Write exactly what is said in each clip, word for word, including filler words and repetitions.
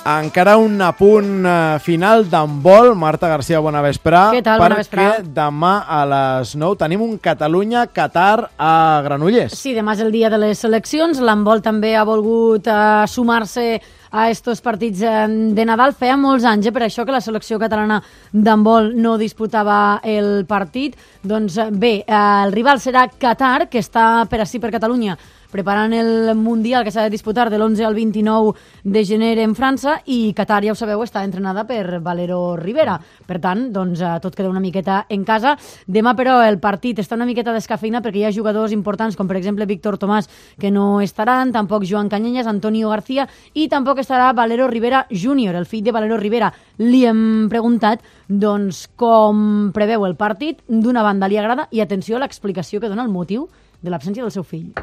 Encara un apunt uh, final d'handbol. Marta Garcia, bona vesprà. Què tal? Bona vesprà. Perquè demà a les nou tenim un Catalunya-Qatar a Granollers. Sí, demà és el dia de les seleccions. L'handbol també ha volgut uh, sumar-se a estos partits de Nadal. Feia molts anys, eh, per això que la selecció catalana d'handbol no disputava el partit. Doncs bé, eh, el rival serà Qatar, que està per ací per Catalunya, preparant el Mundial que s'ha de disputar de l'onze al vint-i-nou de gener en França, i Qatar, ja ho sabeu, està entrenada per Valero Rivera. Per tant, doncs, tot queda una miqueta en casa. Demà, però, el partit està una miqueta descafeïnat perquè hi ha jugadors importants, com per exemple Víctor Tomàs, que no estaran, tampoc Joan Cañellas, Antonio García, i tampoc estarà Valero Rivera júnior, el fill de Valero Rivera. Li hem preguntat doncs, com preveu el partit. D'una banda li agrada, i atenció a l'explicació que dona el motiu de l'absència del seu fill.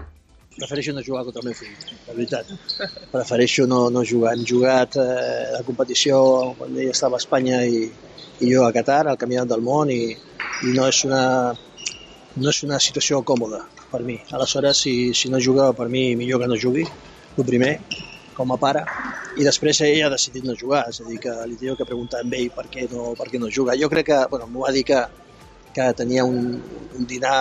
Prefereixo no jugar contra el meu fill, la veritat. Prefereixo no, no jugar. Hem jugat eh, la competició quan ell estava a Espanya i, i jo a Qatar, al Campionat del Món, i, i no, és una, no és una situació còmoda per mi. Aleshores, si, si no juga, per mi millor que no jugui, el primer, com a pare, i després ell ha decidit no jugar, és a dir, que li teniu que preguntar a ell per què no, per què no juga. Jo crec que, bueno, m'ho va dir que, que tenia un, un dinar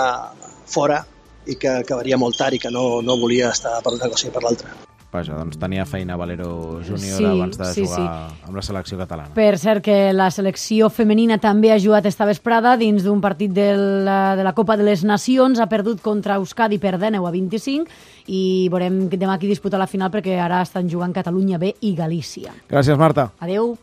fora, i que acabaria molt tard i que no, no volia estar per una cosa i per l'altra. Vaja, doncs tenia feina Valero júnior sí, abans de sí, jugar sí. amb la selecció catalana. Per cert, que la selecció femenina també ha jugat esta vesprada dins d'un partit de la, de la Copa de les Nacions. Ha perdut contra Euskadi per dinou a vint-i-cinc, i veurem demà qui disputa la final, perquè ara estan jugant Catalunya B i Galícia. Gràcies, Marta. Adeu.